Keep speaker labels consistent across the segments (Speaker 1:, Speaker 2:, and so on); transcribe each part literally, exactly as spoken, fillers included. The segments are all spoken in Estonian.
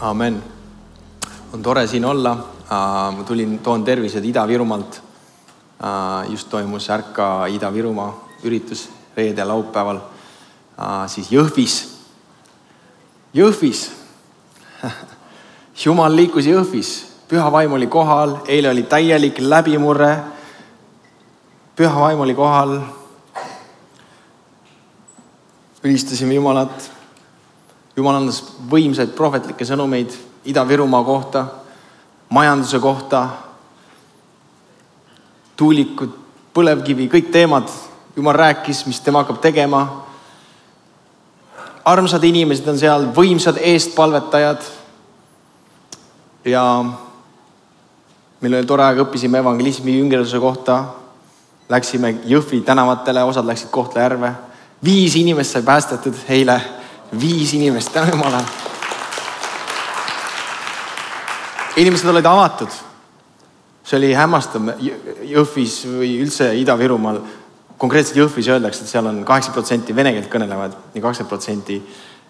Speaker 1: Amen. On tore siin olla. Ma tulin, toon tervised Ida-Virumaalt. Just toimus Ärka Ida-Virumaa üritus reede laupäeval. Siis Jõhvis. Jõhvis. Jumal liikus Jõhvis. Püha vaim oli kohal. Eile oli täielik läbimurre. Püha vaim oli kohal. Ülistasime Jumalat. Jumal andas võimsaid prohvetlikke sõnumeid Ida-Virumaa kohta, majanduse kohta, tuulikud, põlevkivi, kõik teemad. Jumal rääkis, mis tema hakkab tegema. Armsad inimesed on seal, võimsad eestpalvetajad. Ja meil oli tore aeg, õppisime evangelismi jüngerluse kohta. Läksime Jõhvi tänavatele, osad läksid Kohtla-Järve. Viis inimest sai päästetud eile. Viis inimest, tänu Jumala. Inimesed olid avatud. See oli hämmastav Jõhvis või üldse Ida-Virumaal. Konkreetselt Jõhvis öeldakse, et seal on kaheksa protsenti vene keelt kõnelevad ja kakskümmend protsenti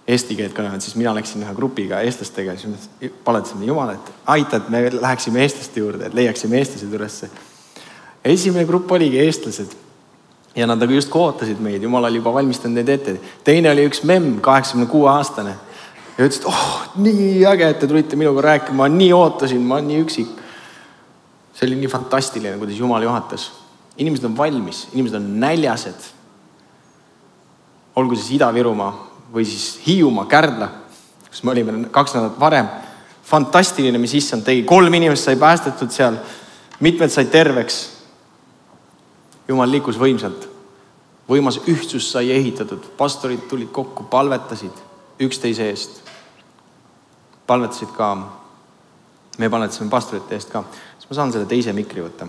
Speaker 1: eesti keelt kõnelevad. Siis mina läksin ühe grupiga eestlastega ja siis paletasime Jumala, et aita, et me läheksime eestlaste juurde, et leiaksime eestlased ülesse. Esimene grupp oligi eestlased. Ja nad just kootasid meid. Jumal oli juba valmistanud neid ette. Teine oli üks memm, kaheksakümne kuue aastane. Ja ütles, et oh, nii äge, et te tulite minuga rääkima. Ma nii ootasin, ma nii üksik. See oli nii fantastiline, kuidas Jumal juhatas. Inimesed on valmis, inimesed on näljased. Olgu siis Ida-Virumaa või siis Hiiumaa, Kärdla, kus me olime kaks nädalat varem. Fantastiline, mis issand tegi. Kolm inimest sai päästetud seal. Mitmed sai terveks. Jumal liikus võimsalt. Võimas ühtsus sai ehitatud. Pastorid tulid kokku, palvetasid üksteise eest. Palvetasid ka. Me palvetasime pastorite eest ka. Siis ma saan selle teise mikri võtta.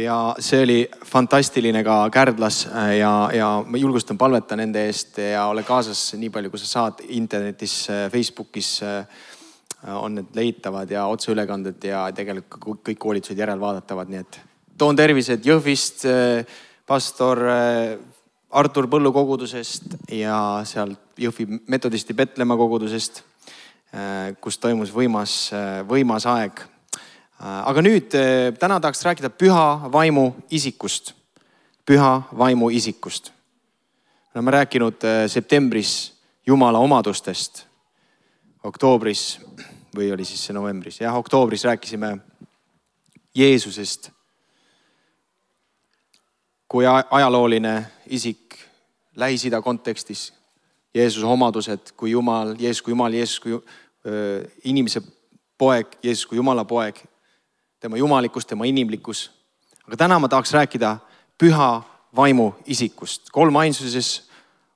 Speaker 1: Ja see oli fantastiline ka Kärdlas ja, ja ma julgustan palveta nende eest ja ole kaasas nii palju, kui sa saad internetis, Facebookis on need leitavad ja otseülekanded ja tegelikult kõik koolitused järelvaadatavad. Nii et toon tervised Jõhvist, pastor Artur Põllu kogudusest ja sealt Jõhvi metodisti Betlema kogudusest, kus toimus võimas, võimas aeg. Aga nüüd täna tahaks rääkida püha vaimu isikust. Püha vaimu isikust. Me oleme rääkinud septembris Jumala omadustest. Oktoobris või oli siis see novembris. Jah, oktoobris rääkisime Jeesusest kui ajalooline isik Lähis-Ida kontekstis. Jeesuse omadused kui Jumal, Jeesus kui Jumal, Jeesus kui öö, inimese poeg, Jeesus kui Jumala poeg, tema jumalikkus, tema inimlikkus. Aga täna ma tahaks rääkida püha vaimu isikust. Kolm ainsuses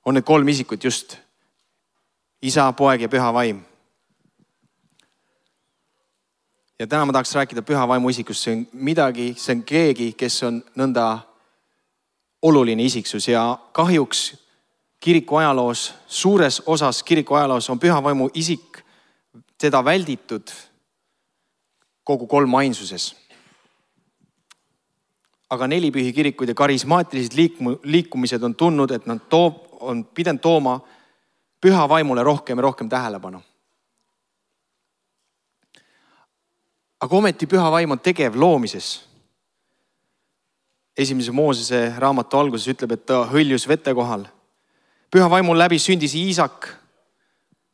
Speaker 1: on need kolm isikut just isa, poeg ja püha vaim. Ja täna ma tahaks rääkida püha vaimu isikust. See on midagi, see on keegi, kes on nõnda oluline isiksus ja kahjuks kiriku ajaloos, suures osas kiriku ajaloos on püha vaimu isik teda välditud kogu kolm ainsuses. Aga nelipühi kirikud ja karismaatilised liikumised on tundnud, et nad toob, on pidanud tooma püha vaimule rohkem ja rohkem tähelepanu. Aga ometi püha vaim on tegev loomises. Esimese Moosese raamatu alguses ütleb, et ta hõljus vete kohal. Püha vaimu läbi sündis Iisak,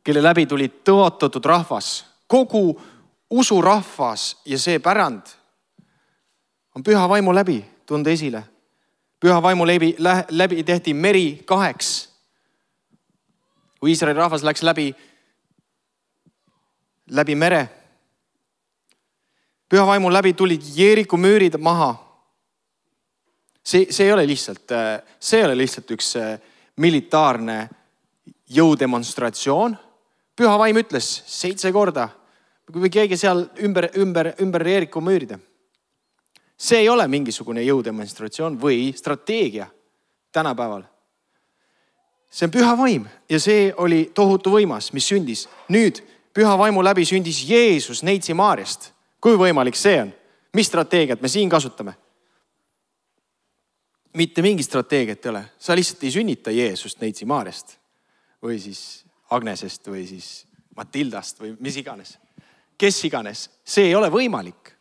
Speaker 1: kelle läbi tuli tõotatud rahvas. Kogu usurahvas ja see pärand on püha vaimu läbi tunda esile. Püha vaimu läbi, läbi tehti meri kaheks. Kui Iisraeli rahvas läks läbi, läbi mere. Püha vaimu läbi tulid Jeeriku müürid maha. See, see, ei ole lihtsalt, see ei ole lihtsalt üks militaarne jõudemonstratsioon. Püha vaim ütles seitse korda, kui keegi seal ümber, ümber, ümber Jeeriku müüride. See ei ole mingisugune jõudemonstratsioon või strateegia tänapäeval. See on püha vaim ja see oli tohutu võimas, mis sündis. Nüüd püha vaimu läbi sündis Jeesus Neitsi Maarjast. Kui võimalik see on? Mis strateegiat me siin kasutame? mitte mingi strateegiat ei ole. Sa lihtsalt ei sünnita Jeesust Neitsi Maarjast või siis Agnesest või siis Matildast või mis iganes. Kes iganes. See ei ole võimalik.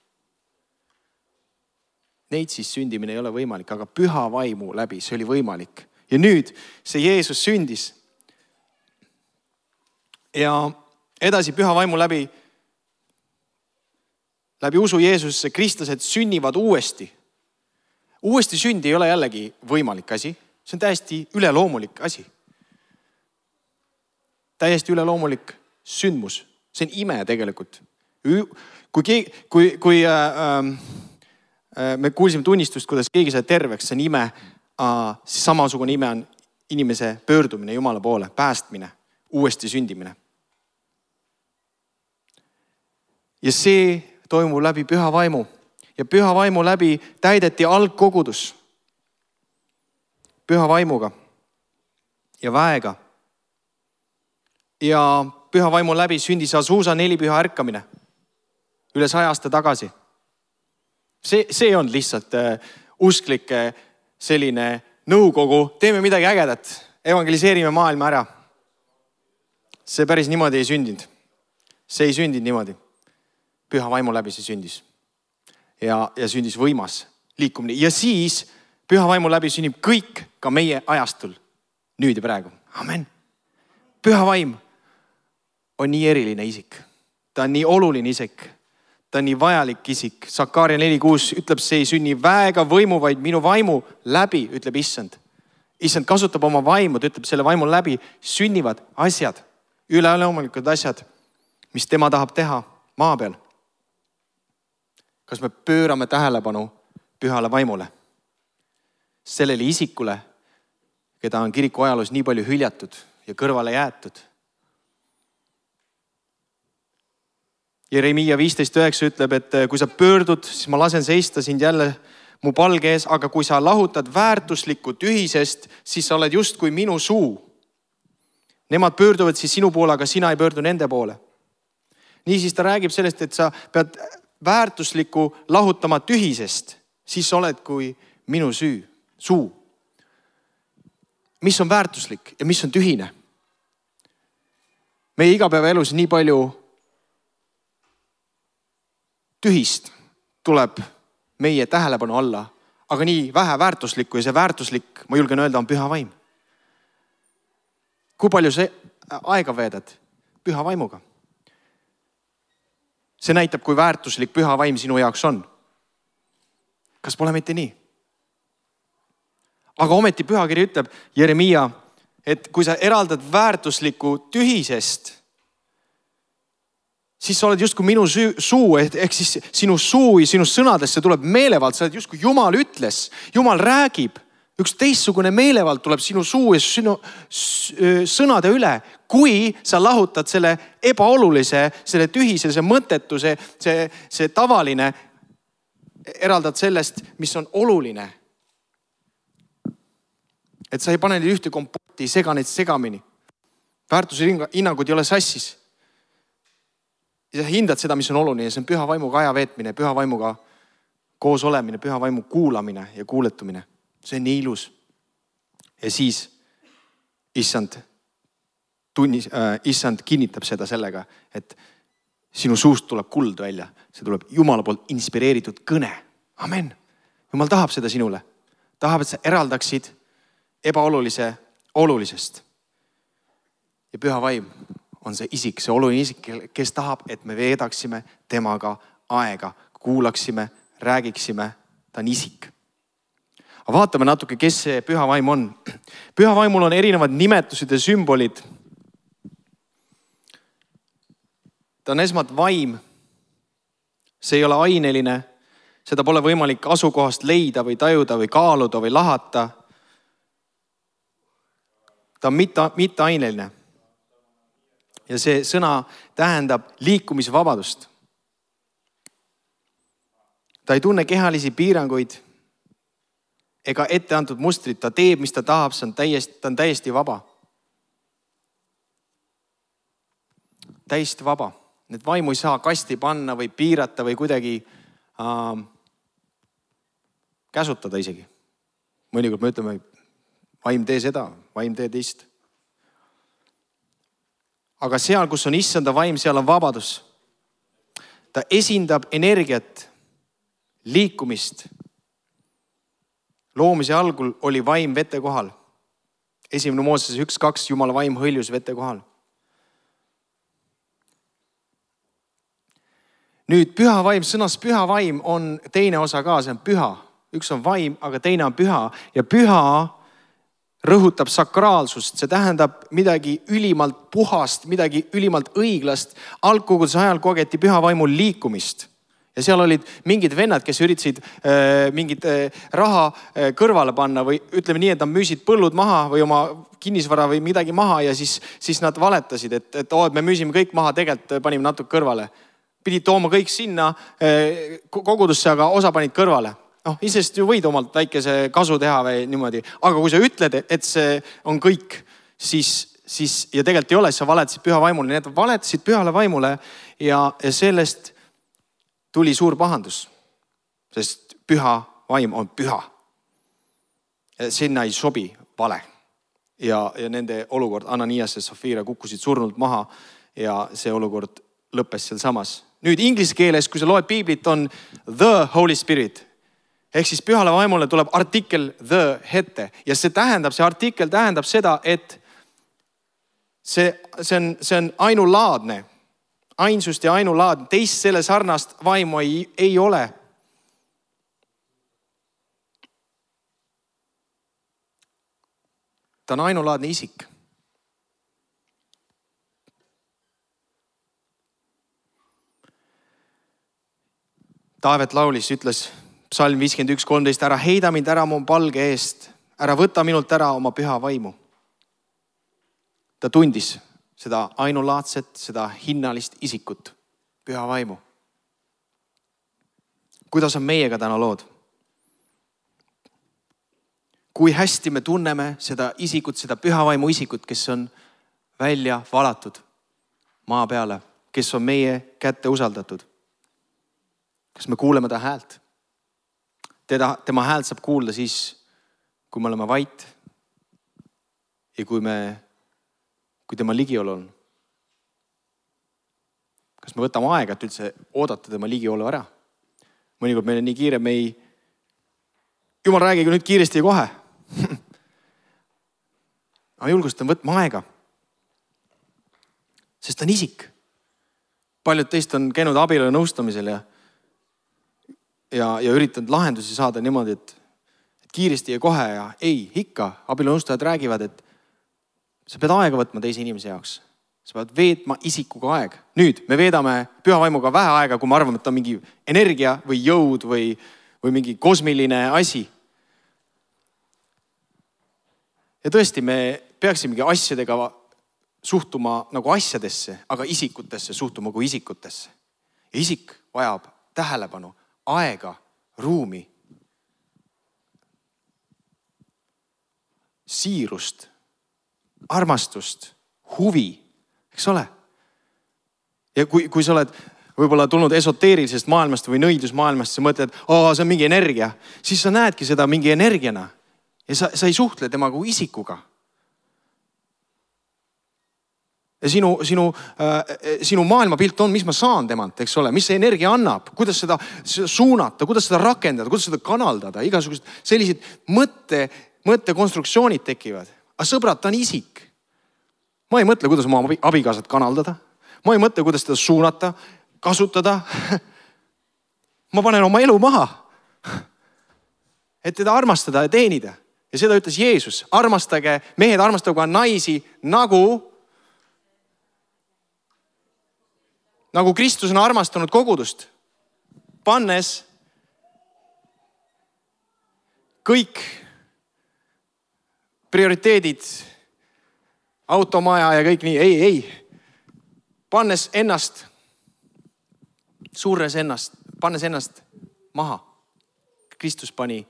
Speaker 1: Neitsis sündimine ei ole võimalik, aga püha vaimu läbi see oli võimalik. Ja nüüd see Jeesus sündis. Ja edasi püha vaimu läbi, läbi usu Jeesusesse kristlased sünnivad uuesti. Uuesti sündi ei ole jällegi võimalik asi. See on täiesti üleloomulik asi. Täiesti üleloomulik sündmus. See on ime tegelikult. Kui, kui, kui äh, äh, me kuulsime tunnistust, kuidas keegi sai terveks, see on ime, äh, siis samasugune ime on inimese pöördumine Jumala poole, päästmine, uuesti sündimine. Ja see toimub läbi püha vaimu. Ja püha vaimu läbi täideti algkogudus. Püha vaimuga ja väega. Ja püha vaimu läbi sündis Azusa nelipüha ärkamine. Üle saja aasta tagasi. See, see on lihtsalt äh, usklike selline nõukogu. Teeme midagi ägedat. Evangeliseerime maailma ära. See päris niimoodi ei sündinud. See ei sündinud niimoodi. Püha vaimu läbi see sündis. Ja, ja sündis võimas liikumine. Ja siis püha vaimu läbi sünnib kõik ka meie ajastul. Nüüd ja praegu. Amen. Püha vaim on nii eriline isik. Ta on nii oluline isik. Ta on nii vajalik isik. Sakaaria neli kuus ütleb, see ei sünni väega võimu, vaid minu vaimu läbi, ütleb issand. Issand kasutab oma vaimu, ta ütleb selle vaimu läbi, sünnivad asjad, üleloomulikud asjad, mis tema tahab teha maa peal. Kas me pöörame tähelepanu pühale vaimule? Sellele isikule, keda on kiriku ajaloos nii palju hüljatud ja kõrvale jäetud. Jeremiia viisteist üheksa ütleb, et kui sa pöördud, siis ma lasen seista sind jälle mu palge ees, aga kui sa lahutad väärtuslikku tühisest, siis sa oled just kui minu suu. Nemad pöörduvad siis sinu poole, aga sina ei pöördu nende poole. Niisiis ta räägib sellest, et sa pead väärtuslikku lahutama tühisest, siis sa oled kui minu süü, suu. Mis on väärtuslik ja mis on tühine? Meie igapäevaelus nii palju tühist tuleb meie tähelepanu alla, aga nii vähe väärtuslikku ja see väärtuslik, ma julgen öelda, on püha vaim. Kui palju see aega veedad püha vaimuga? See näitab, kui väärtuslik püha vaim sinu jaoks on. Kas pole mitte nii? Aga ometi pühakiri ütleb, Jeremiia, et kui sa eraldad väärtuslikku tühisest, siis sa oled justkui minu suu, ehk siis sinu suu ja sinu sõnadesse tuleb meelevald, sa oled justkui Jumal ütles, Jumal räägib, üks teistsugune meelevald tuleb sinu suu ja sinu sõnade üle, kui sa lahutad selle ebaolulise, selle tühise, see mõttetuse, see, see tavaline, eraldad sellest, mis on oluline. Et sa ei pane neid ühte kompotti, sega neid segamini. Väärtuse hinnangud ei ole sassis. Ja sa hindad seda, mis on oluline. See on püha vaimuga aja veetmine, püha vaimuga koos olemine, püha vaimu kuulamine ja kuuletumine. See on nii ilus. Ja siis issand, tunnis, äh, issand kinnitab seda sellega, et sinu suust tuleb kuld välja. See tuleb Jumala poolt inspireeritud kõne. Amen. Jumal tahab seda sinule. Tahab, et sa eraldaksid ebaolulise olulisest. Ja püha vaim on see isik, see oluline isik, kes tahab, et me veedaksime temaga aega, kuulaksime, räägiksime, ta on isik. Aga vaatame natuke, kes see püha vaim on. Püha vaimul on erinevad nimetused ja sümbolid. Ta on esmalt vaim. See ei ole aineline. Seda pole võimalik asukohast leida või tajuda või kaaluda või lahata. Ta on mitte, mitte aineline. Ja see sõna tähendab liikumisvabadust. Ta ei tunne kehalisi piiranguid ega ette antud mustrit. Ta teeb, mis ta tahab, see on täiesti, ta on täiesti vaba. Täiesti vaba. Need vaimu ei saa kasti panna või piirata või kuidagi äh, käsutada isegi. mõnikord me ütleme, vaim tee seda, vaim tee teist. Aga seal, kus on issanda vaim, seal on vabadus. Ta esindab energiat, liikumist. Loomise algul oli vaim vete kohal. Esimene Mooses üks kaks, Jumala vaim hõljus vete kohal. Nüüd püha vaim, sõnas püha vaim on teine osa ka, see on püha. Üks on vaim, aga teine on püha. Ja püha rõhutab sakraalsust, see tähendab midagi ülimalt puhast, midagi ülimalt õiglast. Algkoguduse ajal kogeti püha vaimul liikumist. Ja seal olid mingid vennad, kes üritasid äh, mingit äh, raha äh, kõrvale panna või ütleme nii, et nad müüsid põllud maha või oma kinnisvara või midagi maha ja siis, siis nad valetasid, et, et, oh, et me müüsime kõik maha, tegelikult panime natuke kõrvale. Pidid tooma kõik sinna äh, kogudusse, aga osa panid kõrvale. noh, isest ju võid omalt väikese kasu teha või niimoodi, aga kui sa ütled, et see on kõik, siis, siis ja tegelikult ei ole, siis sa valetasid püha vaimule, nii et valetasid pühale vaimule ja, ja sellest tuli suur pahandus, sest püha vaim on püha. Sinna ei sobi vale ja, ja nende olukord, Ananias ja Safira kukkusid surnult maha ja see olukord lõppes seal samas. Nüüd inglise keeles, kui sa loed piiblit, on the Holy Spirit. Ehk siis pühale vaimule tuleb artikkel the ette ja see tähendab, see artikkel tähendab seda, et see, see, on, see on ainulaadne, ainsust ja ainulaadne, teist selle sarnast vaimu ei, ei ole. Ta on ainulaadne isik. Taavet laulis, ütles psalm viiskümmend üks kolmteist, ära heida mind ära mu palge eest, ära võta minult ära oma püha vaimu. Ta tundis seda ainulaadset, seda hinnalist isikut, püha vaimu. Kuidas on meiega täna lood? Kui hästi me tunneme seda isikut, seda püha vaimu isikut, kes on välja valatud maa peale, kes on meie kätte usaldatud. Kas me kuuleme ta häält? Teda, tema häält saab kuulda siis, kui me oleme vait ja kui, me, kui tema ligiolu on. Kas me võtame aega, et üldse oodata tema ligiolu ära? Mõnikord meil on nii kiire, me ei... Jumal, räägige nüüd kiiresti ja kohe. Ma julgustan võtma aega. Sest ta on isik. Paljud teist on käinud abielu nõustamisel ja Ja, ja üritanud lahendusi saada niimoodi, et, et kiiresti ja kohe ja ei, ikka. Abielu-nõustajad räägivad, et sa pead aega võtma teise inimese jaoks. Sa pead veetma isikuga aeg. Nüüd me veedame püha vaimuga vähe aega, kui me arvame, et ta on mingi energia või jõud või, või mingi kosmiline asi. Ja tõesti, me peaksimegi asjadega suhtuma nagu asjadesse, aga isikutesse suhtuma kui isikutesse. Ja isik vajab tähelepanu, aega, ruumi, siirust, armastust, huvi, eks ole? Ja kui, kui sa oled võib-olla tulnud esoteerilisest maailmast või nõidusmaailmast, sa mõtled, oo, see on mingi energia, siis sa näedki seda mingi energiana ja sa, sa ei suhtle tema kui isikuga. Ja sinu, sinu, äh, sinu maailmapilt on, mis ma saan temalt, eks ole, mis see energia annab, kuidas seda suunata, kuidas seda rakendada, kuidas seda kanaldada, igasugused sellised mõtte, mõttekonstruktsioonid tekivad. Aga sõbrad, ta on isik. Ma ei mõtle, kuidas oma abikaasat kanaldada. Ma ei mõtle, kuidas teda suunata, kasutada. Ma panen oma elu maha, et teda armastada ja teenida. Ja seda ütles Jeesus. Armastage, mehed armastage naisi nagu nagu Kristus on armastanud kogudust, pannes kõik prioriteedid, automaja ja kõik nii, ei, ei, pannes ennast, surres ennast, pannes ennast maha. Kristus pani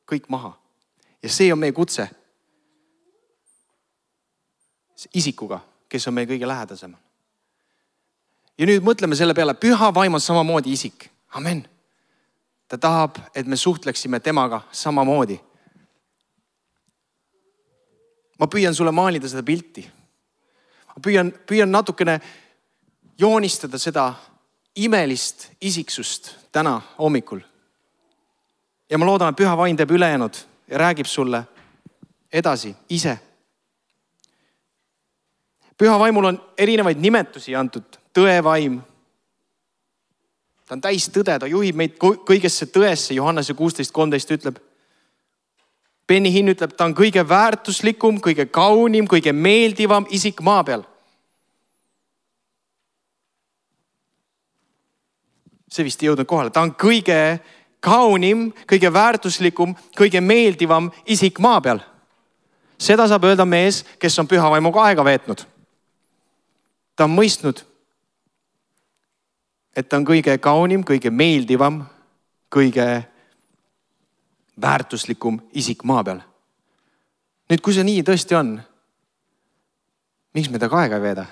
Speaker 1: kõik maha ja see on meie kutse isikuga, kes on meie kõige lähedasem. Ja nüüd mõtleme selle peale, püha vaim on samamoodi isik. Amen. Ta tahab, et me suhtleksime temaga samamoodi. ma püüan sulle maalida seda pilti. Ma püüan, püüan natukene joonistada seda imelist isiksust täna hommikul. Ja ma loodan, et püha vaim teeb ülejäänud ja räägib sulle edasi ise. Püha vaimul on erinevaid nimetusi antud. Tõevaim. Ta on täis tõde, ta juhib meid kõigesse tõesse. Johannese kuusteist kolmteist ütleb. Benny Hinn ütleb, ta on kõige väärtuslikum, kõige kaunim, kõige meeldivam isik maa peal. See vist ei jõudnud kohale. Ta on kõige kaunim, kõige väärtuslikum, kõige meeldivam isik maa peal. Seda saab öelda mees, kes on püha vaimuga aega veetnud. Ta on mõistnud, et ta on kõige kaunim, kõige meeldivam, kõige väärtuslikum isik maa peal. Nüüd, kui see nii tõesti on, miks me temaga aega ei veeda?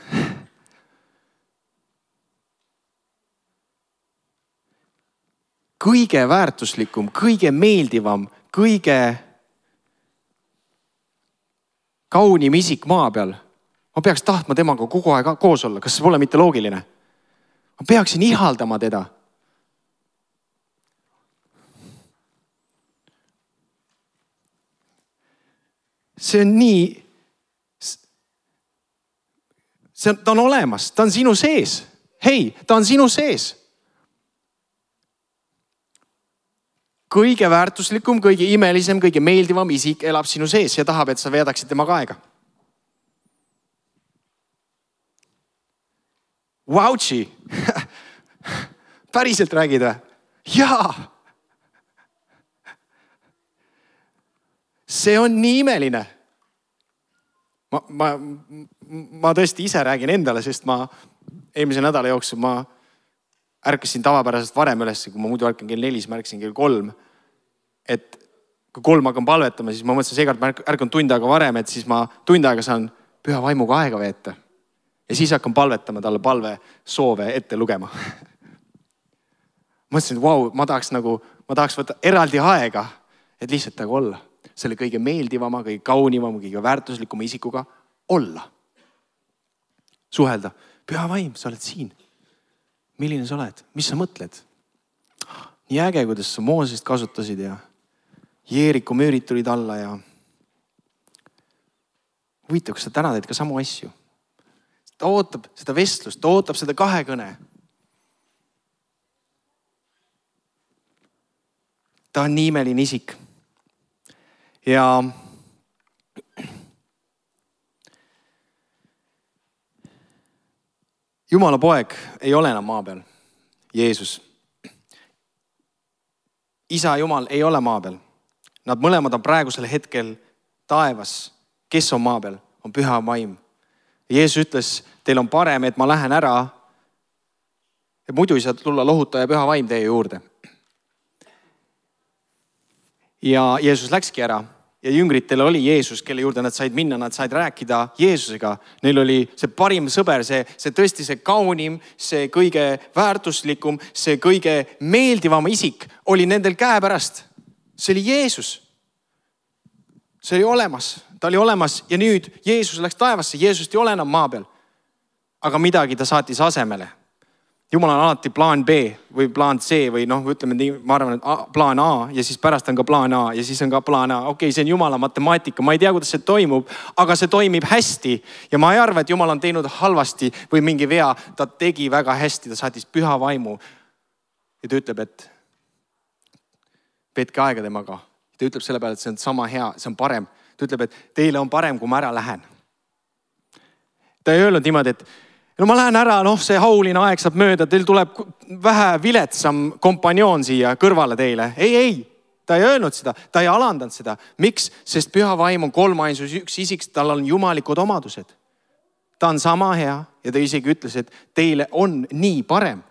Speaker 1: Kõige väärtuslikum, kõige meeldivam, kõige kaunim isik maa peal. Ma peaks tahtma temaga kogu aeg koos olla. Kas see pole mitte loogiline? Ma peaksin ihaldama teda. See on nii, see on, ta on olemas, ta on sinu sees. Hei, ta on sinu sees. Kõige väärtuslikum, kõige imelisem, kõige meeldivam isik elab sinu sees ja tahab, et sa veedaksid temaga aega. Vautši! Päriselt räägid või? Jaa! See on nii imeline. Ma, ma, ma tõesti ise räägin endale, sest ma eelmise nädala jooksul ma ärkasin tavapäraselt varem üles, kui ma muidu ärkan kell nelis, ma ärkasin kell kolm. Et kui kolm hakkan palvetama, siis ma mõtlesin, seekord ma ärkan tund aega varem, et siis ma tund aega saan püha vaimuga aega veeta. Ja siis hakkan palvetama talle palve soove ette lugema. Mõtlesin, et vau, ma tahaks nagu, ma tahaks võtta eraldi aega, et lihtsalt taga olla. Selle kõige meeldivama, kõige kaunimama, kõige väärtuslikuma isikuga olla. Suhelda. Püha vaim, sa oled siin. Milline sa oled? Mis sa mõtled? Nii äge, kuidas sa Moosest kasutasid ja Jeeriku müürid tulid alla ja huvitav, kas sa täna teed ka samu asju. Ta ootab seda vestlust, ta ootab seda kahekõne. Ta on nii imeline isik. Ja Jumala poeg ei ole enam maa peal. Jeesus. Isa Jumal ei ole maa peal. Nad mõlemad on praegusel hetkel taevas. Kes on maa peal? On püha vaim. Jeesus ütles, teil on parem, et ma lähen ära. Et muidu ei saa tulla lohutaja püha vaim teie juurde. Ja Jeesus läkski ära. Ja jüngritel oli Jeesus, kelle juurde nad said minna, nad said rääkida Jeesusega. Neil oli see parim sõber, see, see tõesti see kaunim, see kõige väärtuslikum, see kõige meeldivam isik oli nendel käe pärast. See oli Jeesus. See oli olemas. Ta oli olemas ja nüüd Jeesus läks taevasse. Jeesust ei ole enam maa peal. Aga midagi ta saatis asemele. Jumal on alati plaan B või plaan C või noh, ütleme nii, ma arvan, et A, plaan A ja siis pärast on ka plaan A ja siis on ka plaan A. Okei, see on Jumala matemaatika. Ma ei tea, kuidas see toimub, aga see toimib hästi. Ja ma ei arva, et Jumal on teinud halvasti või mingi vea. Ta tegi väga hästi, ta saatis püha vaimu. Ja ta ütleb, et veetke aega temaga. Ta ütleb selle peale, et see on sama hea, see on parem. Ta ütleb, et teile on parem, kui ma ära lähen. Ta ei öelnud niimoodi, et no ma lähen ära, noh see hauline aeg saab mööda, teil tuleb vähe viletsam kompanjoon siia kõrvale teile. Ei, ei, ta ei öelnud seda, ta ei alandanud seda. Miks? Sest püha vaim on kolmainsus üks isik, tal on jumalikud omadused. Ta on sama hea ja ta isegi ütles, et teile on nii parem.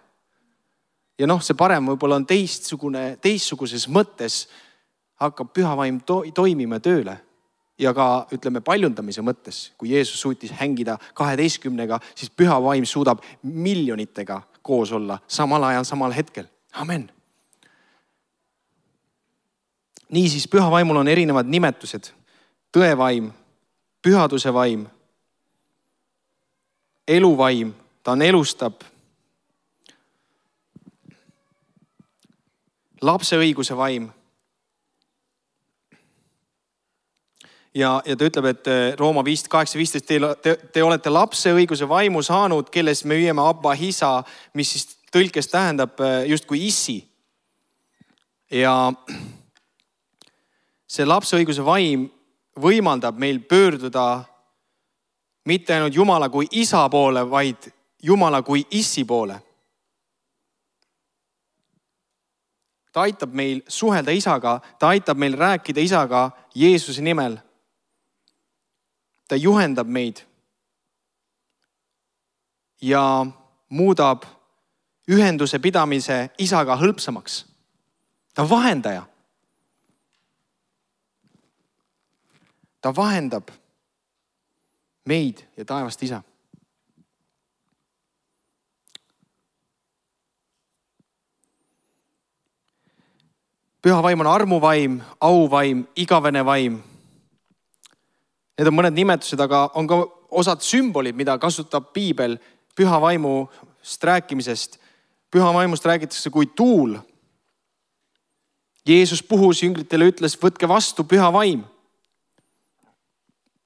Speaker 1: Ja noh, see parem võib-olla on teistsugune, teistsuguses mõttes hakkab püha vaim to toimima tööle. Ja ka, ütleme, paljundamise mõttes, kui Jeesus suutis hängida kaheteistkümnega, siis püha vaim suudab miljonitega koos olla samal ajal, samal hetkel. Amen. Niisiis, püha vaimul on erinevad nimetused. Tõevaim, pühaduse vaim, eluvaim, ta on elustab. Lapse õiguse vaim. Ja, ja ta ütleb, et Rooma viis, kaheksa viisteist, te, te, te olete lapse õiguse vaimu saanud, kelles me hüüame Abba Hisa, mis siis tõlkes tähendab justkui issi. Ja see lapse õiguse vaim võimaldab meil pöörduda mitte ainult Jumala kui isa poole, vaid Jumala kui issi poole. Ta aitab meil suhelda isaga, ta aitab meil rääkida isaga Jeesuse nimel. Ta juhendab meid ja muudab ühenduse pidamise isaga hõlpsamaks. Ta on vahendaja. Ta vahendab meid ja taevast isa. Püha vaim on armuvaim, auvaim, igavene vaim. Need on mõned nimetused, aga on ka osad sümbolid, mida kasutab Piibel püha vaimust rääkimisest. Püha vaimust räägitakse kui tuul. Jeesus puhus jüngritele, ütles, võtke vastu püha vaim.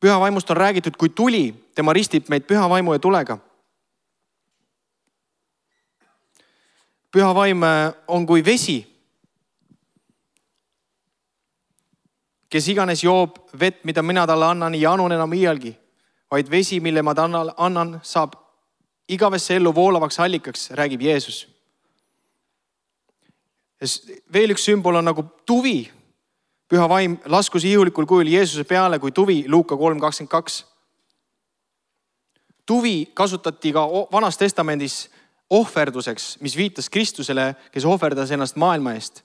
Speaker 1: Püha vaimust on räägitud kui tuli, tema ristib meid püha vaimu ja tulega. Püha vaim on kui vesi. Kes iganes joob vett, mida mina talle annan, ei anun enam iialgi, vaid vesi, mille ma talle annan, saab igavesse ellu voolavaks allikaks, räägib Jeesus. Veel üks sümbol on nagu tuvi. Püha vaim laskus ihulikul kujul Jeesuse peale kui tuvi, Luuka kolm kakskümmend kaks. Tuvi kasutati ka Vanas Testamendis ohverduseks, mis viitas Kristusele, kes ohverdas ennast maailma eest.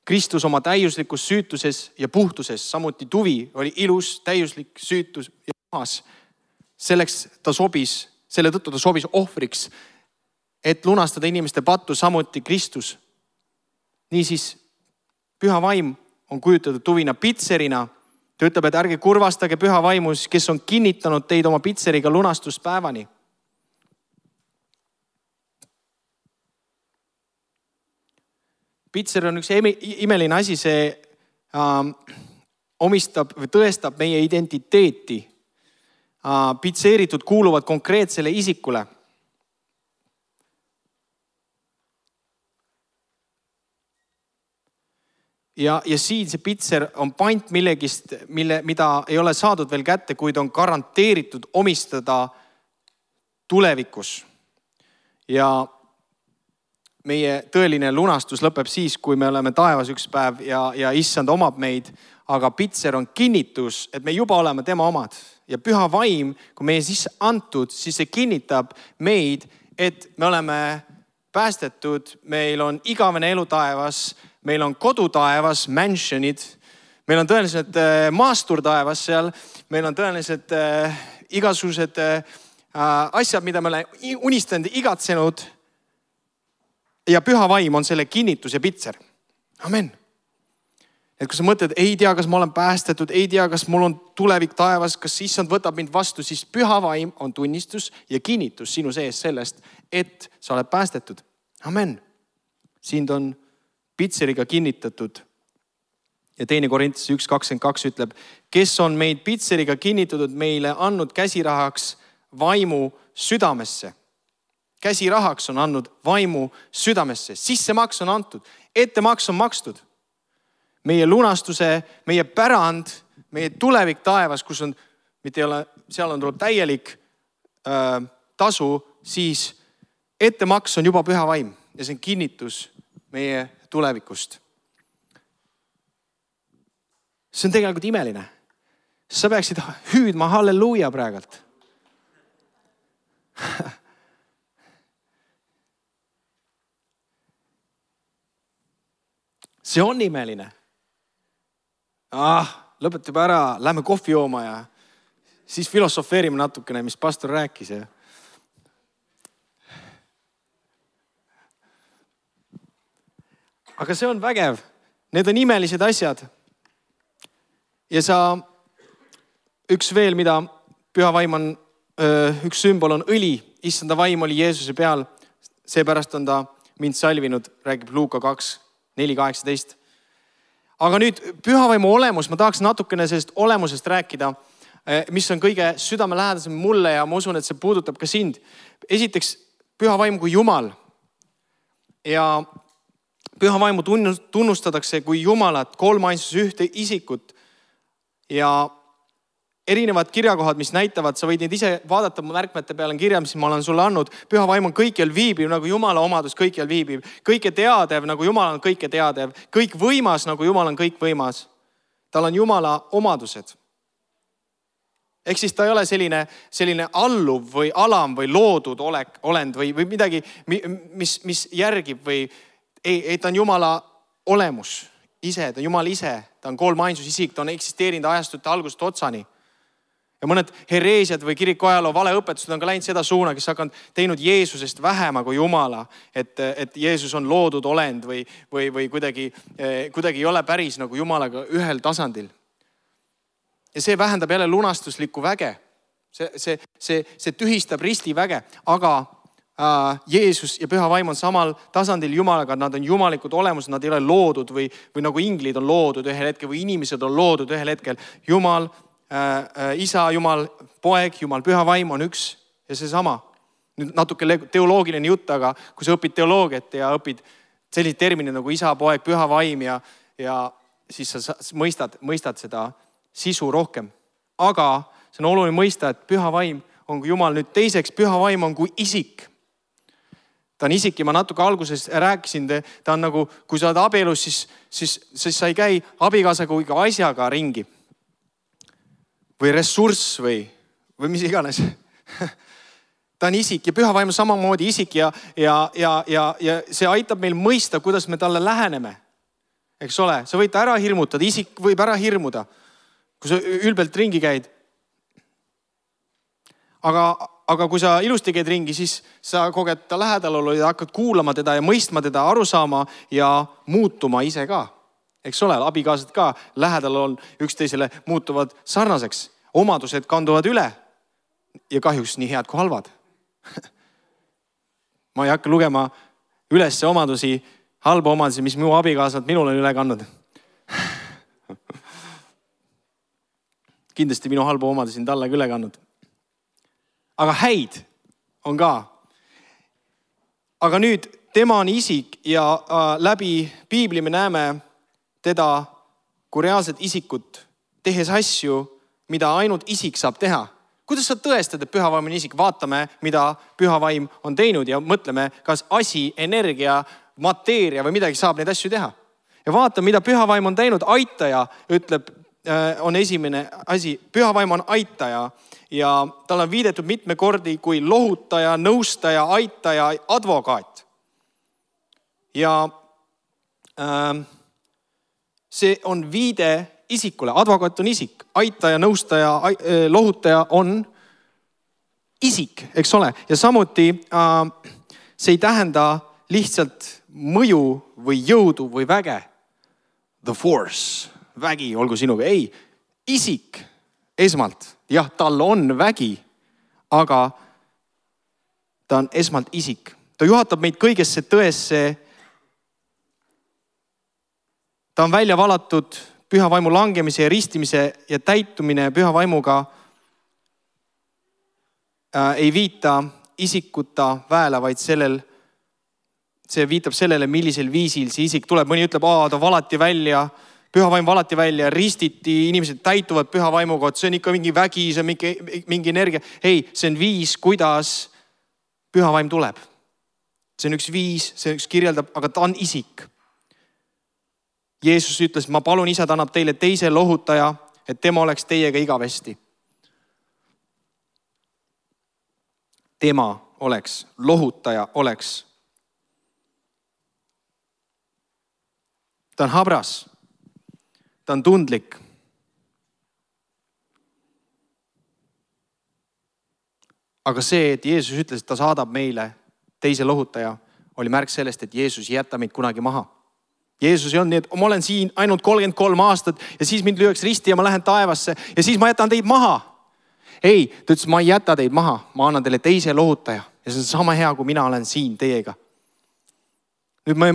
Speaker 1: Kristus oma täiuslikus süütuses ja puhtuses, samuti tuvi oli ilus, täiuslik, süütus ja puhas. Selleks ta sobis, selle tõttu ta sobis ohvriks, et lunastada inimeste pattu, samuti Kristus. Niisiis, püha vaim on kujutatud tuvina pitserina. Ta ütleb, et ärge kurvastage püha vaimus, kes on kinnitanud teid oma pitseriga lunastuspäevani. Pitser on üks imeline asi, see äh, omistab või tõestab meie identiteeti. Äh, pitseeritud kuuluvad konkreetsele isikule. Ja, ja siin see pitser on pant millegist, mille, mida ei ole saadud veel kätte, kuid on garanteeritud omistada tulevikus. Ja meie tõeline lunastus lõpeb siis, kui me oleme taevas üks päev ja, ja issand omab meid, aga pitser on kinnitus, et me juba oleme tema omad. Ja püha vaim, kui meie sisse antud, siis see kinnitab meid, et me oleme päästetud, meil on igavene elu taevas, meil on kodu taevas, mansionid, meil on tõenäoliselt maastur taevas seal, meil on tõenäoliselt äh, igasugused äh, asjad, mida me oleme unistanud, igatsenud. Ja püha vaim on selle kinnitus ja pitser. Amen. Et kui sa mõtled, ei tea, kas ma olen päästetud, ei tea, kas mul on tulevik taevas, kas issand võtab mind vastu, siis püha vaim on tunnistus ja kinnitus sinu sees sellest, et sa oled päästetud. Amen. Siin on pitseriga kinnitatud. Ja teine Korintuse üks kakskümmend kaks ütleb, kes on meid pitseriga kinnitatud meile andnud käsirahaks vaimu südamesse. Käsirahaks on andnud vaimu südamesse. Sissemaks on antud. Ettemaks on makstud. Meie lunastuse, meie pärand, meie tulevik taevas, kus on, mitte ei ole, seal on tuleb täielik äh, tasu, siis ettemaks on juba püha vaim. Ja see on kinnitus meie tulevikust. See on tegelikult imeline. Sa peaksid hüüdma halleluuja praegalt. See on imeline. Ah, lõpeta juba ära, lähme kohvi jooma ja siis filosofeerime natukene, mis pastor rääkis. Ja... Aga see on vägev. Need on imelised asjad. Ja sa üks veel, mida püha vaim on, üks sümbol on õli. Issanda vaim oli Jeesuse peal. Seepärast on ta mind salvinud, räägib Luuka kaks, neli, kaheksateist. Aga nüüd püha vaimu olemus, ma tahaks natukene sellest olemusest rääkida, mis on kõige südamelähedasem mulle ja ma usun, et see puudutab ka sind. Esiteks püha vaim kui Jumal. Ja püha vaimu tunnustatakse kui Jumalat, kolmainsus ühte isikut. Ja erinevad kirjakohad, mis näitavad, sa võid neid ise vaadata, märkmete peal on kirja, mis ma olen sulle andnud. Püha vaim on kõikjal viibiv, nagu Jumala omadus kõikjal viibiv. Kõike teadev, nagu Jumal on kõike teadev. Kõik võimas, nagu Jumal on kõik võimas. Tal on Jumala omadused. Ehk siis ta ei ole selline, selline alluv või alam või loodud olek, olend või, või midagi, mis, mis järgib või ei, ei, ta on Jumala olemus ise, ta on Jumal ise, ta on kolmainsus isik, ta on eksisteerinud ajastute algust otsani. Ja mõned hereesiad või kiriku ajaloo valeõpetused on ka läinud seda suuna, kes hakanud teinud Jeesusest vähema kui Jumala. Et, et Jeesus on loodud olend või, või, või kuidagi, kuidagi ei ole päris nagu Jumalaga ühel tasandil. Ja see vähendab jälle lunastuslikku väge. See, see, see, see tühistab ristiväge. Aga äh, Jeesus ja püha vaim on samal tasandil Jumalaga. Nad on jumalikud olemus, nad ei ole loodud või, või nagu inglid on loodud ühel hetkel või inimesed on loodud ühel hetkel. Jumal, Äh, isa, Jumal, poeg, Jumal, püha vaim on üks ja see sama. Nüüd natuke teoloogiline jutt, aga kui sa õpid teoloogiat ja õpid sellised terminid nagu isa, poeg, püha vaim ja, ja siis sa mõistad, mõistad seda sisu rohkem. Aga see on oluline mõista, et püha vaim on kui Jumal. Nüüd teiseks, püha vaim on kui isik. Ta on isik ja ma natuke alguses rääkisin, ta on nagu, kui sa oled abielus, siis, siis, siis sa ei käi abikaasaga kui asjaga ringi. Või ressurss või, või mis iganes. Ta on isik ja püha vaim on samamoodi isik ja, ja, ja, ja, ja see aitab meil mõista, kuidas me talle läheneme. Eks ole, sa võid ta ära hirmutada, isik võib ära hirmuda, kui sa ülbelt ringi käid. Aga, aga kui sa ilusti käid ringi, siis sa koged ta lähedalolu ja hakkad kuulama teda ja mõistma teda, aru saama ja muutuma ise ka. Eks ole, abikaasad ka lähedal on üksteisele muutuvad sarnaseks. Omadused kanduvad üle ja kahjuks nii head kui halvad. Ma ei hakka lugema üles omadusi, halba omadusi, mis minu abikaasad minul on üle kandnud. Kindlasti minu halba omadusi on talle üle kandnud. Aga häid on ka. Aga nüüd tema on isik ja äh, läbi piibli me näeme teda kui reaalset isikut, tehes asju, mida ainult isik saab teha. Kuidas sa tõestad, et püha vaim on isik? Vaatame, mida püha vaim on teinud ja mõtleme, kas asi, energia, mateeria või midagi saab neid asju teha. Ja vaatame, mida püha vaim on teinud. Aitaja, ütleb, on esimene asi. Püha vaim on aitaja ja tal on viidetud mitme kordi kui lohutaja, nõustaja, aitaja, advokaat. Ja äh, see on viide isikule. Advokaat on isik. Aitaja, nõustaja, lohutaja on isik, eks ole. Ja samuti äh, see ei tähenda lihtsalt mõju või jõudu või väge. The force, vägi, olgu sinuga. Ei, isik esmalt. Jah, tal on vägi, aga ta on esmalt isik. Ta juhatab meid kõigesse tõesse. Ta on välja valatud püha vaimu langemise ja ristimise ja täitumine püha vaimuga äh, ei viita isikuta väela, vaid sellel, see viitab sellele, millisel viisil see isik tuleb. Mõni ütleb, aa, ta valati välja, püha vaim valati välja, ristiti, inimesed täituvad püha vaimuga, et see on ikka mingi vägi, see on mingi, mingi energia. Ei, see on viis, kuidas püha vaim tuleb. See on üks viis, see üks kirjeldab, aga ta on isik. Jeesus ütles, ma palun, isa, ta annab teile teise lohutaja, et tema oleks teiega igavesti. Tema oleks, lohutaja oleks. Ta on habras. Ta on tundlik. Aga see, et Jeesus ütles, et ta saadab meile teise lohutaja, oli märk sellest, et Jeesus ei jäta meid kunagi maha. Jeesus ei olnud nii, et ma olen siin ainult kolmkümmend kolm aastat ja siis mind lüüakse risti ja ma lähen taevasse ja siis ma jätan teid maha. Ei, ta ütles, ma ei jäta teid maha, ma annan teile teise lohutaja ja see on sama hea, kui mina olen siin teiega. Nüüd me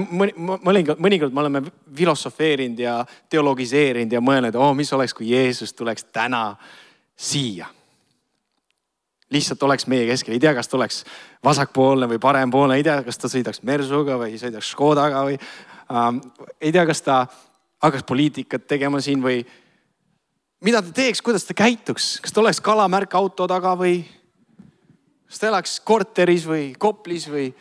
Speaker 1: mõnikord, mõnikord me oleme filosofeerinud ja teologiseerinud ja mõelnud, oh, mis oleks, kui Jeesus tuleks täna siia. Lihtsalt oleks meie keskel, ei tea, kas ta oleks vasakpoolne või parempoolne, ei tea, kas ta sõidaks Mersuga või sõidaks Škodaga või ähm, ei tea, kas ta hakkaks poliitikat tegema siin või mida ta teeks, kuidas ta käituks, kas ta oleks kalamärk auto taga või kas ta elaks korteris või Koplis või,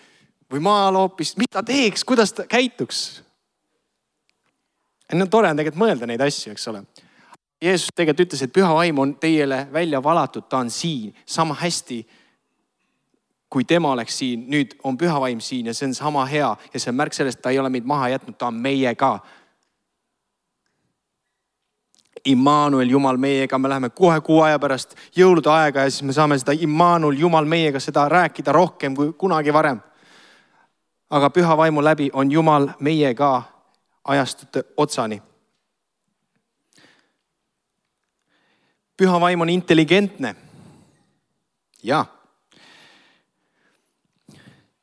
Speaker 1: või maal hoopis, mida ta teeks, kuidas ta käituks. No, tore on tegelikult mõelda neid asju, eks ole. Jeesus tegelikult ütles, et püha vaim on teile välja valatud, ta on siin sama hästi, kui tema oleks siin. Nüüd on püha vaim siin ja see on sama hea ja see on märk sellest, ta ei ole meid maha jätnud, ta on meiega. Immanuel, Jumal meiega, me läheme kohe kuu aja pärast jõulude aega ja siis me saame seda Immanuel, Jumal meiega, seda rääkida rohkem kui kunagi varem. Aga püha vaimu läbi on Jumal meiega ajastute otsani. Püha vaim on intelligentne. Ja.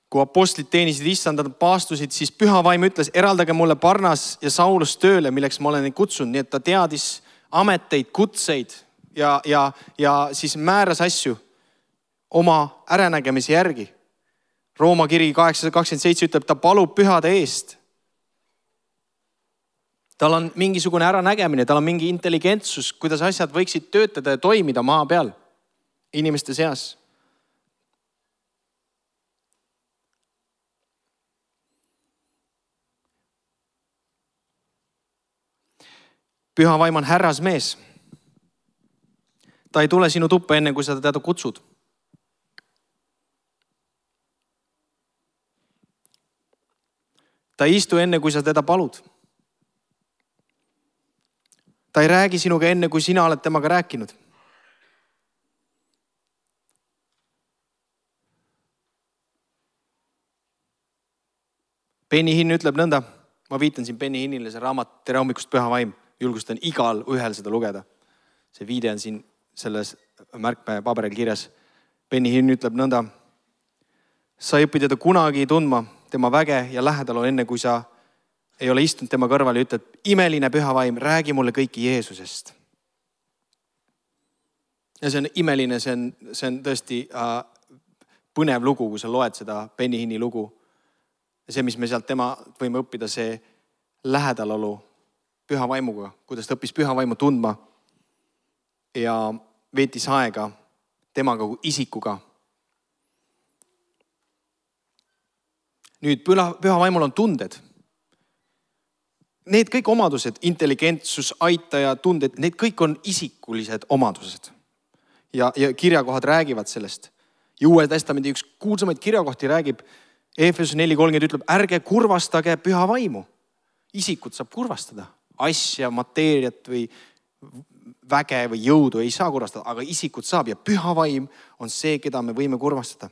Speaker 1: Kui apostlid teenisid issandad paastusid, siis püha vaim ütles, eraldage mulle Barnas ja Saulus tööle, milleks ma olen neid kutsunud. Nii et ta teadis ameteid, kutseid ja, ja, ja siis määras asju oma äranägemise järgi. Rooma kiri kaheksasada kakskümmend seitse ütleb, ta palub pühade eest. Tal on mingisugune äranägemine, tal on mingi intelligentsus, kuidas asjad võiksid töötada ja toimida maa peal inimeste seas. Püha vaim on härrasmees. Ta ei tule sinu tuppa enne, kui sa teda kutsud. Ta ei istu enne, kui sa teda palud. Ta ei räägi sinuga enne, kui sina oled temaga rääkinud. Benny Hinn ütleb nõnda, ma viitan siin Benny Hinnile, see raamat Tere hommikust püha vaim, julgustan igal ühel seda lugeda. See viide on siin selles märkme paberil kirjas. Benny Hinn ütleb nõnda, sa ei õpi teda kunagi tundma, tema väge ja lähedal on enne, kui sa ei ole istunud tema kõrval ja ütled, imeline püha vaim, räägi mulle kõiki Jeesusest. Ja see on imeline, see on, see on tõesti äh, põnev lugu, kui sa loed seda Benny Hinni lugu. Ja see, mis me sealt tema võime õppida, see lähedalolu püha vaimuga, kuidas ta õppis püha vaimu tundma ja veetis aega temaga kui isikuga. Nüüd püha, püha vaimul on tunded. Need kõik omadused, intelligentsus, aitaja, tunded, need kõik on isikulised omadused. Ja, ja kirjakohad räägivad sellest. Ja Uue Testamendi üks kuulsamaid kirjakohti räägib, Efesus neli kolmkümmend ütleb, ärge kurvastage püha vaimu. Isikut saab kurvastada. Asja, mateeriat või väge või jõudu ei saa kurvastada, aga isikut saab ja püha vaim on see, keda me võime kurvastada.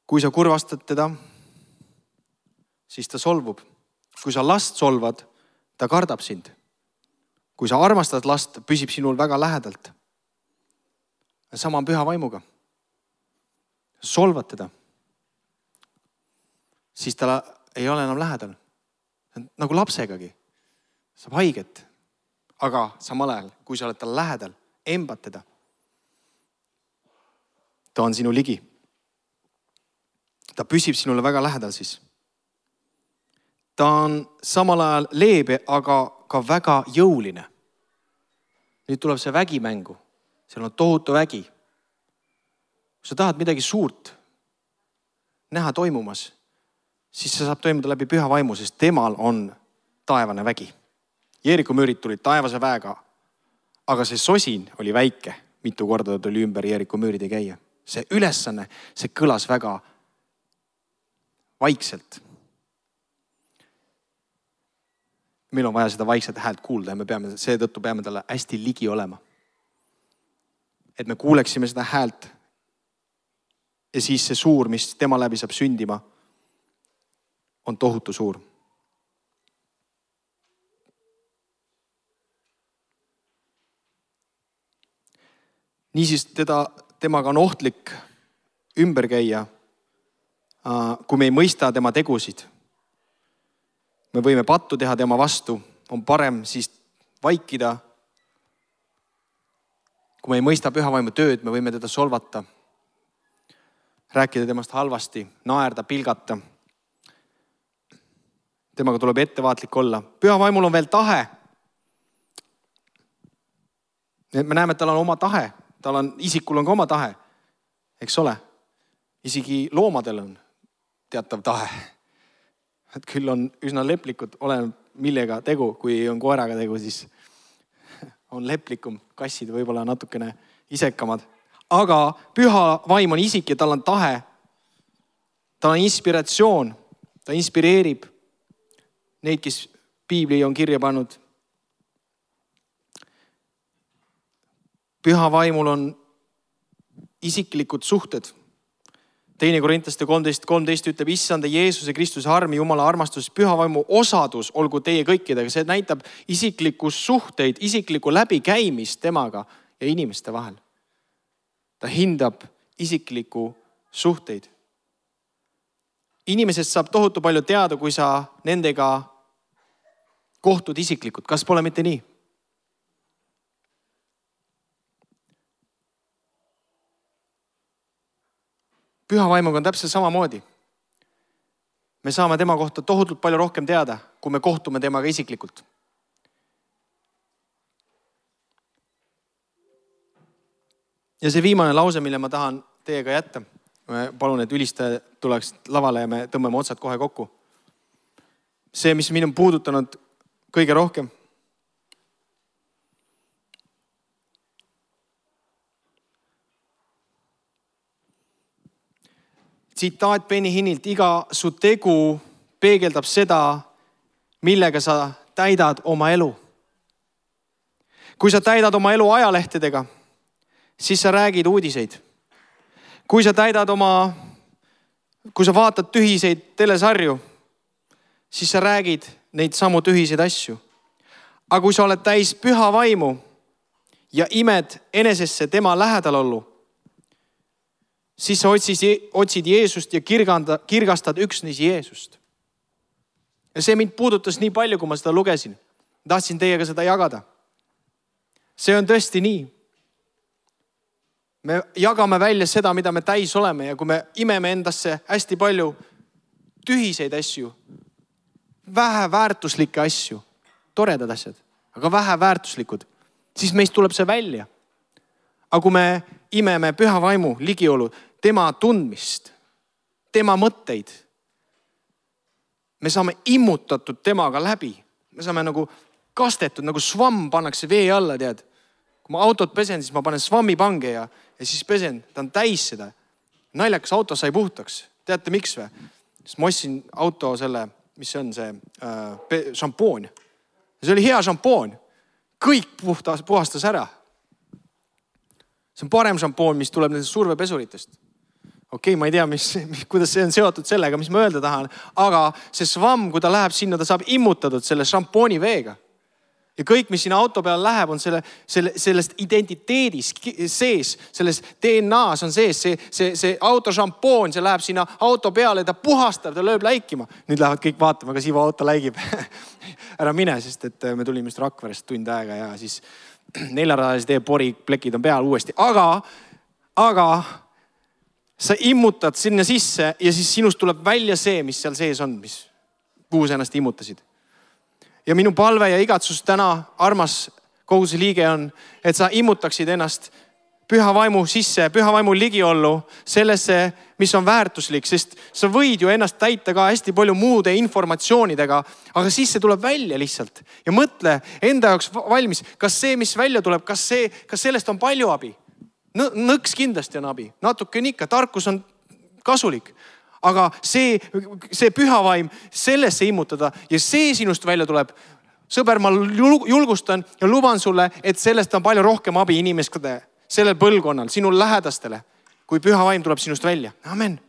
Speaker 1: Kui sa kurvastad teda, siis ta solvub. Kui sa last solvad, ta kardab sind. Kui sa armastad last, püsib sinul väga lähedalt. Sama on püha vaimuga. Solvad teda, siis ta ei ole enam lähedal. Nagu lapsegagi. Saab haiget. Aga samal ajal, kui sa oled tal lähedal, embad teda. Ta on sinu ligi. Ta püsib sinule väga lähedal siis. Ta on samal ajal leebe, aga ka väga jõuline. Nüüd tuleb see vägimängu. Seal on tohutu vägi. Kui sa tahad midagi suurt näha toimumas, siis see saab toimuda läbi püha vaimu, sest temal on taevane vägi. Jeeriku müürid tulid taevase väega, aga see sosin oli väike. Mitu korda tuli ümber Jeeriku müüride käia. See ülesanne, see kõlas väga vaikselt. Meil on vaja seda vaikset häält kuulda ja me peame, seetõttu peame talle hästi ligi olema. et me kuuleksime seda häält. Ja siis see suur, mis tema läbi saab sündima, on tohutu suur. Niisiis teda, temaga on ohtlik ümber käia, kui me ei mõista tema tegusid. Me võime pattu teha tema vastu, on parem siis vaikida. Kui me ei mõista püha vaimu tööd, me võime teda solvata, rääkida temast halvasti, naerda, pilgata. Temaga tuleb ettevaatlik olla. Püha vaimul on veel tahe. Me näeme, et tal on oma tahe. Tal on, isikul on ka oma tahe. Eks ole? Isegi loomadel on teatav tahe. Et küll on üsna leplikud, olen millega tegu, kui on koeraga tegu, siis on leplikum. Kassid võib-olla natukene isekamad. Aga püha vaim on isik ja tal on tahe. Tal on inspiratsioon. Ta inspireerib neid, kes piibli on kirja pannud. Püha vaimul on isiklikud suhted. Teine Korintlaste kolmteist kolmteist ütleb, issanda Jeesuse Kristuse armi, Jumala armastus, püha vaimu osadus olgu teie kõikidega. See näitab isiklikku suhteid, isiklikku läbikäimist temaga ja inimeste vahel. Ta hindab isiklikku suhteid. Inimesest saab tohutu palju teada, kui sa nendega kohtud isiklikult. Kas pole mitte nii? Püha vaimuga on täpselt samamoodi. Me saame tema kohta tohutult palju rohkem teada, kui me kohtume temaga isiklikult. Ja see viimane lause, mille ma tahan teiega jätta. Ma palun, et ülistaja tuleks lavale ja me tõmbame otsad kohe kokku. See, mis mind on puudutanud kõige rohkem. Tsitaat Benny Hinnilt, iga su tegu peegeldab seda, millega sa täidad oma elu. Kui sa täidad oma elu ajalehtedega, siis sa räägid uudiseid. Kui sa täidad oma, kui sa vaatad tühiseid telesarju, siis sa räägid neid samu tühiseid asju. Aga kui sa oled täis püha vaimu ja imed enesesse tema lähedal ollu, siis sa otsid, otsid Jeesust ja kirganda, kirgastad üksnes Jeesust. Ja see mind puudutas nii palju, kui ma seda lugesin. Tahtsin teiega seda jagada. See on tõesti nii. Me jagame välja seda, mida me täis oleme ja kui me imeme endasse hästi palju tühiseid asju, vähe väärtuslikke asju, toredad asjad, aga vähe väärtuslikud, siis meist tuleb see välja. Aga kui me imeme püha vaimu ligiolu, tema tundmist, tema mõtteid, me saame immutatud temaga läbi. Me saame nagu kastetud, nagu svamm pannakse vee alla, tead. Kui ma autot pesen, siis ma panen svammi pange ja, ja siis pesen, ta on täis seda. Naljakas auto sai puhtaks. Teate miks või? Sest ma ostsin auto selle, mis see on see äh, šampoon. See oli hea šampoon. Kõik puhtas, puhastas ära. See on parem šampoon, mis tuleb nendest survepesuritest. Okei, okay, ma ei tea, mis, kuidas see on seotud sellega, mis ma öelda tahan. Aga see svamm, kui ta läheb sinna, ta saab immutatud selle šampooni veega. Ja kõik, mis sinna auto peale läheb, on selle, selle, sellest identiteedis sees, selles D N A-s on sees. See, see, see auto šampoon, see läheb sinna auto peale, ta puhastab, ta lööb läikima. Nüüd lähevad kõik vaatama, kas Ivo auto läigib. Ära mine, sest et me tulime just Rakverest tund aega ja siis neljaradalise tee poriplekid on peal uuesti. Aga, aga sa immutad sinna sisse ja siis sinust tuleb välja see, mis seal sees on, mis kuhu sa ennast immutasid. Ja minu palve ja igatsus täna, armas koguduse liige on, et sa immutaksid ennast püha vaimu sisse, püha vaimu ligiollu sellesse, mis on väärtuslik, sest sa võid ju ennast täita ka hästi palju muude informatsioonidega, aga siis see tuleb välja lihtsalt. Ja mõtle enda jaoks valmis, kas see, mis välja tuleb, kas, see, kas sellest on palju abi? Nõks kindlasti on abi, natuke on ikka, tarkus on kasulik. Aga see, see püha vaim sellesse immutada ja see sinust välja tuleb. Sõber, ma julgustan ja luban sulle, et sellest on palju rohkem abi inimeste sellel põlvkonnal, sinu lähedastele, kui püha vaim tuleb sinust välja. Amen.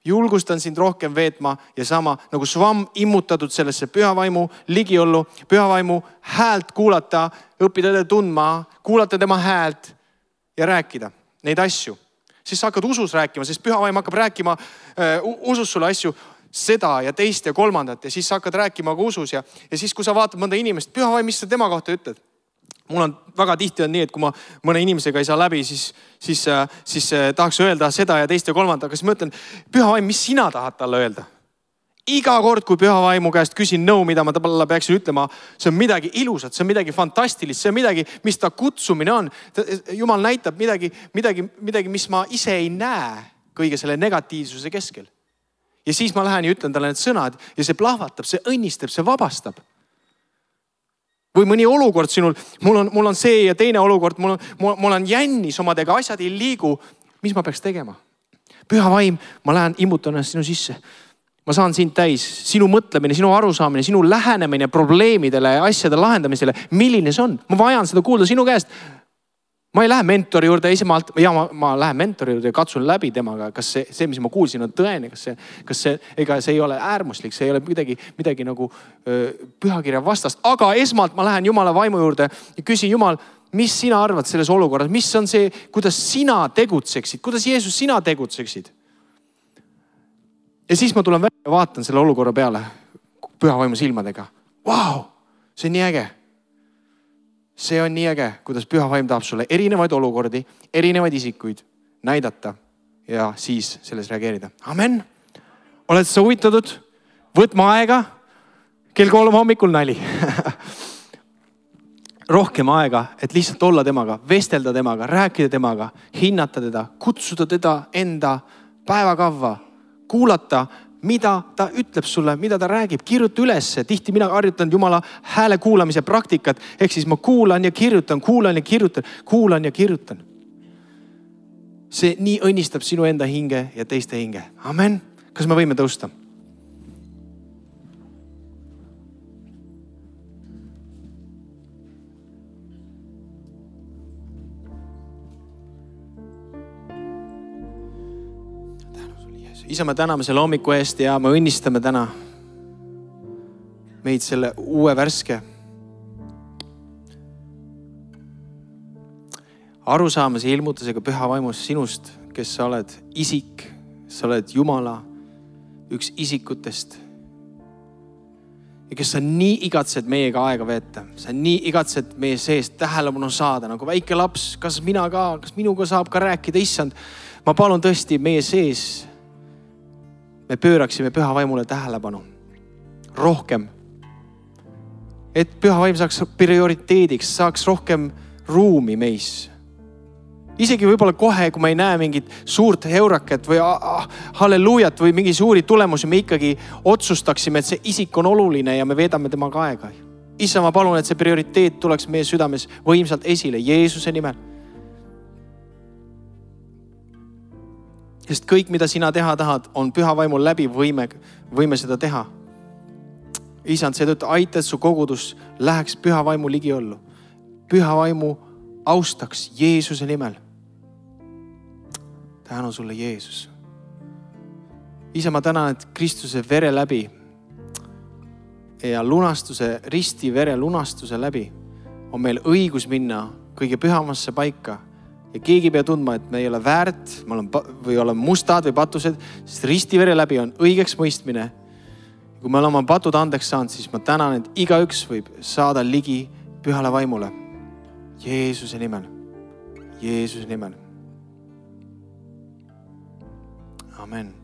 Speaker 1: Julgustan sind rohkem veetma ja sama nagu svamm immutatud sellesse püha vaimu ligiollu, püha vaimu häält kuulata, õppida teda tundma, kuulata tema häält ja rääkida neid asju. Siis sa hakkad usus rääkima, sest püha vaim hakkab rääkima uh, usus sulle asju, seda ja teist ja kolmandat ja siis sa hakkad rääkima ka usus ja, ja siis, kui sa vaatad mõnda inimest, püha vaim, mis sa tema kohta ütled? Mul on väga tihti on nii, et kui ma mõne inimesega ei saa läbi, siis, siis, siis tahaks öelda seda ja teist ja kolmandat, aga siis ma ütlen, püha vaim, mis sina tahad talle öelda? Iga kord, kui püha vaimu käest küsin nõu, mida ma talle peaksin ütlema, see on midagi ilusat, see on midagi fantastilist, see on midagi, mis ta kutsumine on. Jumal näitab midagi, midagi, midagi, mis ma ise ei näe kõige selle negatiivsuse keskel. Ja siis ma lähen ja ütlen talle need sõnad ja see plahvatab, see õnnistab, see vabastab. Või mõni olukord sinul, mul on, mul on see ja teine olukord, mul on, mul on jännis omadega, asjad ei liigu. Mis ma peaks tegema? Püha vaim, ma lähen immutan ennast sinu sisse. Ma saan sind täis, sinu mõtlemine, sinu arusaamine, sinu lähenemine probleemidele ja asjade lahendamisele. Milline see on? Ma vajan seda kuulda sinu käest. Ma ei lähe mentori juurde esimalt, ja ma, ma lähen mentori juurde ja katsun läbi temaga, kas see, see, mis ma kuulsin, on tõene, kas see, kas see, ega see ei ole äärmuslik, see ei ole midagi, midagi nagu öö, pühakirja vastast. Aga esmalt ma lähen Jumala vaimu juurde ja küsin, Jumal, mis sina arvad selles olukorras? Mis on see, kuidas sina tegutseksid? Kuidas Jeesus sina tegutseksid? Ja siis ma tulen välja ja vaatan selle olukorra peale püha vaimu silmadega. Vau, see on nii äge. See on nii äge, kuidas püha vaim tahab sulle erinevaid olukordi, erinevaid isikuid näidata ja siis selles reageerida. Amen. Oled sa huvitatud? Võtma aega. Kell kolm hommikul nali. Rohkem aega, et lihtsalt olla temaga, vestelda temaga, rääkida temaga, hinnata teda, kutsuda teda enda päevakavva, kuulata, mida ta ütleb sulle, mida ta räägib, kirjuta ülesse. Tihti mina harjutan Jumala hääle kuulamise praktikat, ehk siis ma kuulan ja kirjutan, kuulan ja kirjutan, kuulan ja kirjutan. See nii õnnistab sinu enda hinge ja teiste hinge. Amen. Kas me võime tõusta? Isa, me täname selle hommiku eest ja me õnnistame täna meid selle uue värske arusaamise ilmutusega püha vaimus sinust, kes sa oled isik, sa oled Jumala üks isikutest ja kes sa nii igatsed meiega aega veeta. Sa nii igatsed meie seest tähelepanu saada nagu väike laps. Kas mina ka, kas minuga saab ka rääkida, issand? Ma palun tõesti meie sees me pööraksime püha vaimule tähelepanu rohkem. Et püha vaim saaks prioriteediks, saaks rohkem ruumi meis. Isegi võib-olla kohe, kui me ei näe mingit suurt heuraket või ah, halleluujat või mingi suuri tulemusi, me ikkagi otsustaksime, et see isik on oluline ja me veedame temaga aega. Issa, ma palun, et see prioriteet tuleks meie südames võimsalt esile Jeesuse nimel. Sest kõik, mida sina teha tahad, on püha vaimul läbi võime, võime seda teha. Isand, seetõttu aita, et su kogudus läheks püha vaimu ligiollu. Püha vaimu austaks Jeesuse nimel. Tänu sulle, Jeesus. Isa, ma tänan, et Kristuse vere läbi ja lunastuse, risti vere lunastuse läbi on meil õigus minna kõige pühamasse paika. Ja keegi pea tundma, et me ei ole väärt, me oleme, või oleme mustad või patused, sest ristivere läbi on õigeks mõistmine. Kui me oleme patud andeks saanud, siis ma tänan, et igaüks võib saada ligi pühale vaimule. Jeesuse nimel. Jeesuse nimel. Amen.